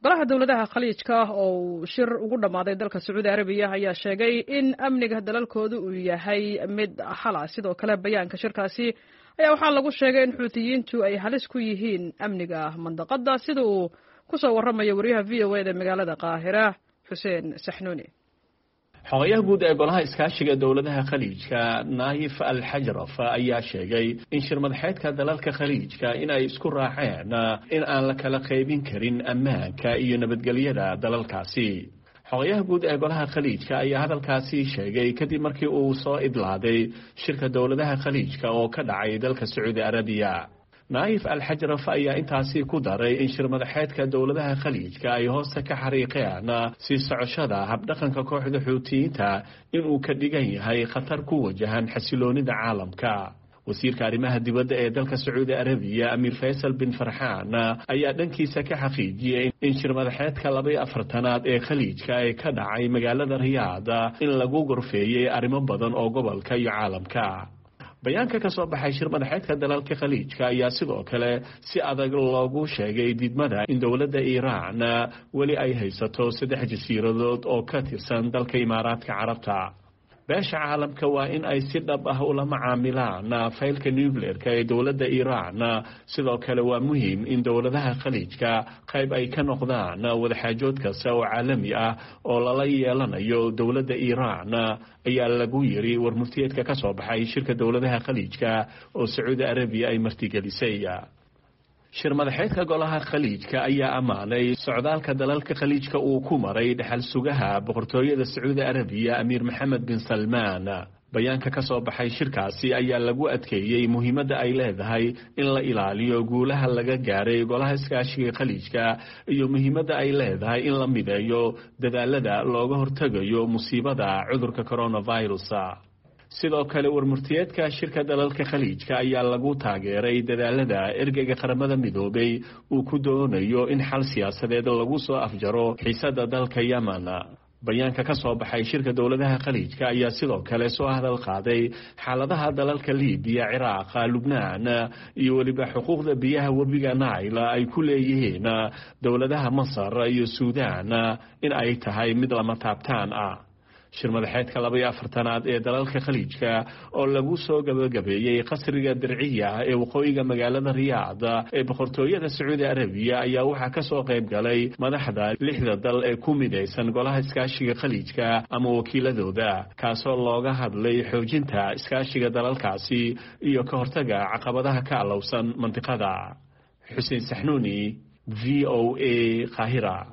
Golaha dowladaha Khaliijka oo uu shir ugu dhammaaday dalka Sacuudi Arabiya ayaa sheegay in amniga dalalkooda uu yahay mid hala. Sidoo kale bayaanka shirkaasi ayaa waxaa lagu sheegay in Xuutiyiintu ay halis ku yihiin amniga mandaqada, sida uu ku soo warramayo wariyaha VOA da magaalada Qaahira, Xuseen Saxnuuni. Xogayaha guud ee Golaha Iskaashiga Dowladaha Khaliijka, Naayif Al Xajraf, ayaa sheegay in shirmadaxeedka dalalka Khaliijka in ay isku raaceen in aan la kala qaybin karin ammaanka iyo nabadgelyada dalalkaasi. Xogayaha guud ee Golaha Khaliijka ayaa hadalkaasi sheegay kadib markii uu soo idlaaday shirka dowladaha Khaliijka oo ka dhacay dalka Sacuudi Arabiya. Naayif Al Xajraf ayaa intaasi ku daray in shirmadaxeedka dowladaha Khaliijka ay hoosta ka xariiqeen sii socoshada habdhaqanka kooxda Xuutiyiinta inuu ka dhigan yahay khatar ku wajahan xasiloonida caalamka. Wasiirka arrimaha dibadda ee dalka Sacuudi Arabiya, Amiir Faysal bin Farxaan, ayaa dhankiisa ka xaqiijiyey in shirmadaxeedka 42aad ee Khaliijka ee ka dhacay magaalada Riyaada in lagu gorfeeyey arrimo badan oo gobolka iyo caalamka. Bayaanka ka soo baxay shir madaxeedka dalalka Khaliijka ayaa sidoo kale si adag loogu sheegay diidmada in dowladda Iiraan weli ay haysato saddex jasiiradood oo ka tirsan dalka Imaaraadka Carabta. Beesha caalamka waa in ay si dhab ah ula macaamilaan faylka nucleerka ee dowladda Iiraan. Sidoo kale waa muhiim in dowladaha Khaliijka qayb ay ka noqdaan wadaxaajood kasta oo caalami ah oo lala yeelanayo dowladda Iiraan, ayaa lagu yiri warmurtiyeedka ka soo baxay shirka dowladaha Khaliijka oo Sacuudi Arabiya ay martigelisay. Shir madaxeedka Golaha Khaliijka ayaa ammaanay socdaalka dalalka Khaliijka uu ku maray dhexal sugaha Boqortooyada Sacuudi Arabiya, Amiir Maxamed bin Salmaan. Bayaanka ka soo baxay shirkaasi ayaa lagu adkeeyey muhiimadda ay leedahay in la ilaaliyo guulaha laga gaaray Golaha Iskaashiga Khaliijka iyo muhiimadda ay leedahay in la mideeyo dadaalada looga hortegayo musiibada cudurka coronavirus. Sidoo kale warmurtiyeedka shirka dalalka Khaliijka ayaa lagu taageeray dadaalada ergeyga Qaramada Midoobay uu ku doonayo in xal siyaasadeed lagu soo afjaro xiisada dalka Yemen. Bayaanka ka soo baxay shirka dowladaha Khaliijka ayaa sidoo kale soo hadal qaaday xaaladaha dalalka Liibiya, Ciraaqa, Lubnaan iyo weliba xuquuqda biyaha webiga Naila ay ku leeyihiin dowladaha Masar iyo Suudaan in ay tahay mid lama taabtaan ah. Shir madaxeedka 42aad ee dalalka Khaliijka oo lagu soo gabagabeeyey qasriga Dirciya ee waqooyiga magaalada Riyaad ee Boqortooyada Sacuudi Arabiya ayaa waxaa ka soo qayb galay madaxda lixda dal ee ku midaysan Golaha Iskaashiga Khaliijka ama wakiiladooda, kaasoo looga hadlay xoojinta iskaashiga dalalkaasi iyo ka hortaga caqabadaha ka alowsan mandiqada. Xuseen Saxnuuni, VOA, Qaahira.